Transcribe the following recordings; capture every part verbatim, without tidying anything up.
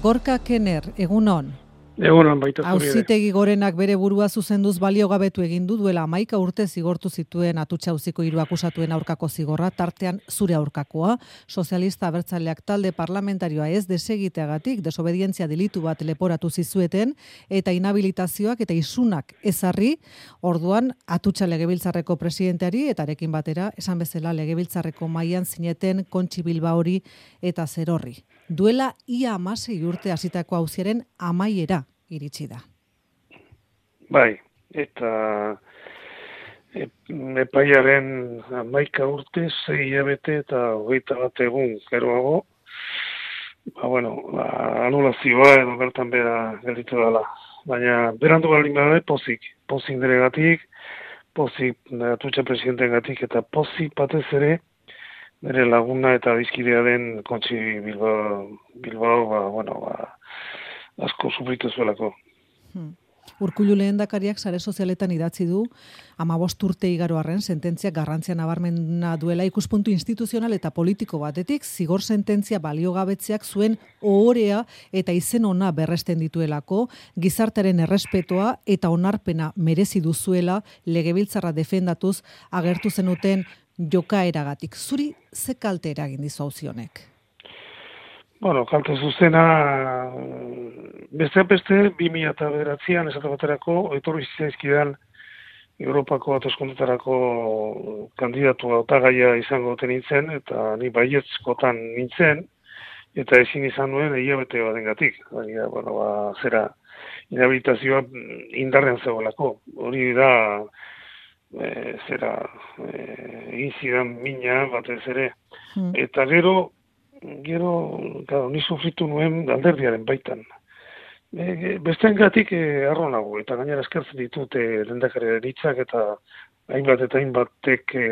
Gorka Kenner, egunon. Egunon baita zuri ere. Auzitegi Gorenak bere burua zuzenduz baliogabetu egin du duela hamaika urte zigortu zituen atutxa auziko hiru akusatuen aurkako zigorra, tartean zure aurkakoa, sozialista abertzaleak talde parlamentarioa ez desegiteagatik desobedientzia delitu bat leporatu zizueten eta inhabilitazioak eta isunak ezarri, orduan atutxa legebiltzarreko presidenteari eta arekin batera esan bezala legebiltzarreko mahaian zineten Kontxi Bilbaori eta Zerorri. Duela ia hamasei urte hasitako auziaren amaiera iritsi da. Bai, eta epaiaren hamaika urte, sei hilabete eta hogeita bat egun geroago, ba, bueno, ba, anulazioa edo bertan bera gelditu dela. Baina berandu baldin bada pozik, pozik niregatik, pozik atutxa presidentegatik eta pozik batez ere nire laguna eta bizkidea den Kontxi Bilbao, Bilbao ba, bueno, ba, asko sufritu zuelako. Hmm. Urkullu lehendakariak sare sozialetan idatzi du hamabost urte igaro arren sententzia garrantzia nabarmena duela ikuspuntu instituzional eta politiko batetik, zigor sententzia baliogabetzeak zuen ohorea eta izen ona berresten dituelako, gizartearen errespetoa eta onarpena merezi duzuela legebiltzarra defendatuz agertu zenuten jokaeragatik. Zuri ze kalte eragin dizu auzi honek? Bueno, kalte zuzena beste beste bi mila bederatzian esate baterako etorri zitzaizkidan Europako hauteskundetarako kandidatu hautagaia izango duten nintzen eta ni baietskotan nintzen eta ezin izan nuen hilabete batengatik. Baina, bueno, ba, zera inhabilitazioa indarrean zegoelako. Hori da E, zera egin e, zidan mina batez ere. Hmm. Eta gero, gero, claro, ni sufritu nuen alderdiaren baitan. E, Bestengatik e, arro nago, eta gainera eskertzen ditut e, lehendakariaren hitzak eta hainbat eta hainbatek e,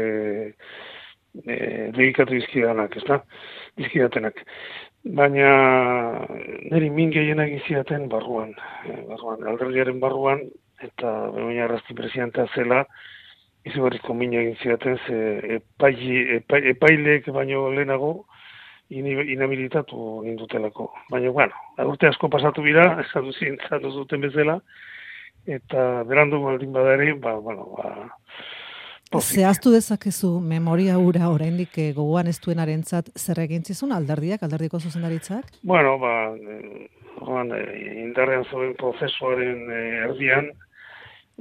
e, dedikatu dizkidanak, ez da? Dizkidatenak. Baina niri min gehienak izidaten barruan, e, barruan, alderdiaren barruan, eta Begoña Arrasti presidentea zela, izugarrizko mina egin zidaten, ze epaile, epa, epaileek baino lehenago inhabilitatu nindutelako. Baina, bueno, urte asko pasatu bira, esatu zintzatu zuten bezala, eta berandu baldin badare, ba, bueno, ba, pozik. Zehaztu dezakezu memoria hura oraindik gogoan ez duenarentzat zer egin zizun alderdiak, alderdiko zuzendaritzak? Bueno, ba, orduan, indarrean zuen prozesuaren erdian,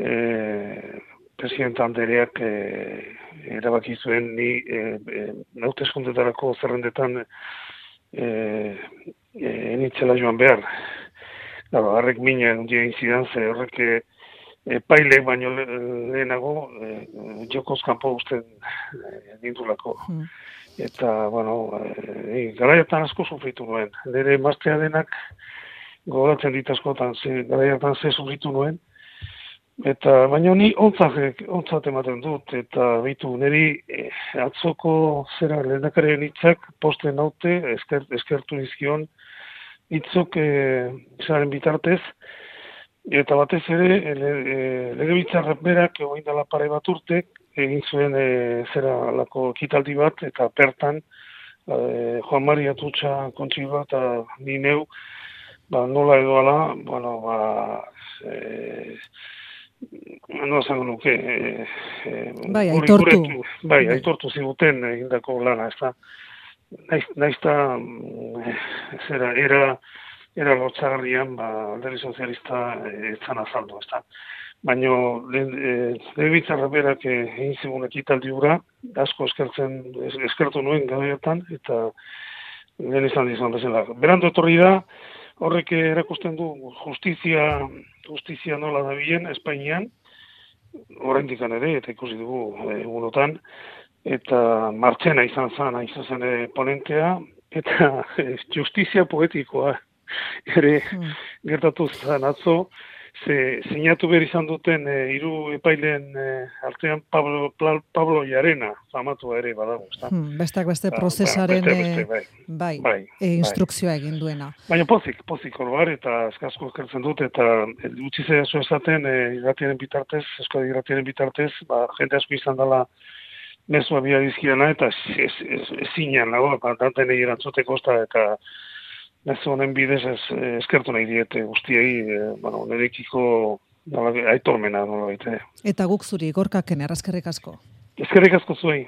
eh, presidente Andereak eh, erabaki zuen ni eh, eh, hauteskundetarako zerrendetan eh, eh, enitzela joan behar. Claro, harrek mina egin zidan, ze horrek epaile baino lehenago eh, jokoz kanpo usten eh, nindulako. Hmm. Eta, bueno, eh, garaietan asko sufritu nuen. Nire emaztea denak gogoratzen dit askotan, garaietan ze sufritu nuen. Eta baina ni ontzat, ontzat ematen dut, eta bitu niri eh, atzoko zera lehendakariaren hitzak posten naute, esker, eskertu dizkion hitzok eh, zaren bitartez, eta batez ere le, eh, legebiltzarrak berak egoin dela pare bat urte, egin zuen eh, zera lako ekitaldi bat, eta pertan eh, Juan Mari Atutxa Kontxi bat, eta ni neu, ba, nola edo ala, bueno, ba, eh, no esango nuke eh, eh, bai, aitortu bai, aitortu ziguten egindako lana, ez da naiz, naizta eh, zera, era era lotxagarrian, ba, alderdi sozialista etzan eh, azaldu, ez da baina legebiltzarrak berak egin zigun ekitaldi hura, asko eskertzen eskertu nuen gabeetan, eta lehen izan dizan bezala. Berandu etorri da, horrek erakusten du justizia, justizia nola dabilen Espainian, oraindik ere, eta ikusi dugu egunotan, eta Martxena izan zen, izan zen ponentea, eta justizia poetikoa ere hmm. gertatu zen atzo, ze sinatu behar izan duten e, hiru epaileen e, artean Pablo, Pablo Llarena, famatua ere badago. Hmm, bestak beste prozesaren ba, beste, beste, bai, bai, bai, e, instrukzioa bai. Egin duena. Baina pozik, pozik oroar, eta eskasko eskertzen dut, eta utzi zehazu esaten e, irratiaren bitartez, Euskadi irratiaren bitartez, ba, jende asko izan dela mezua bia dizkiana, eta ez zinean, nago, danten egin antzoteko, eta Mezu honen bidez ez eskertu nahi diete guztiei, e, bueno, nirekiko aitormena nola baita. Eta guk zuri, Gorkaken, errazkerrik asko. Eskerrik asko zuei.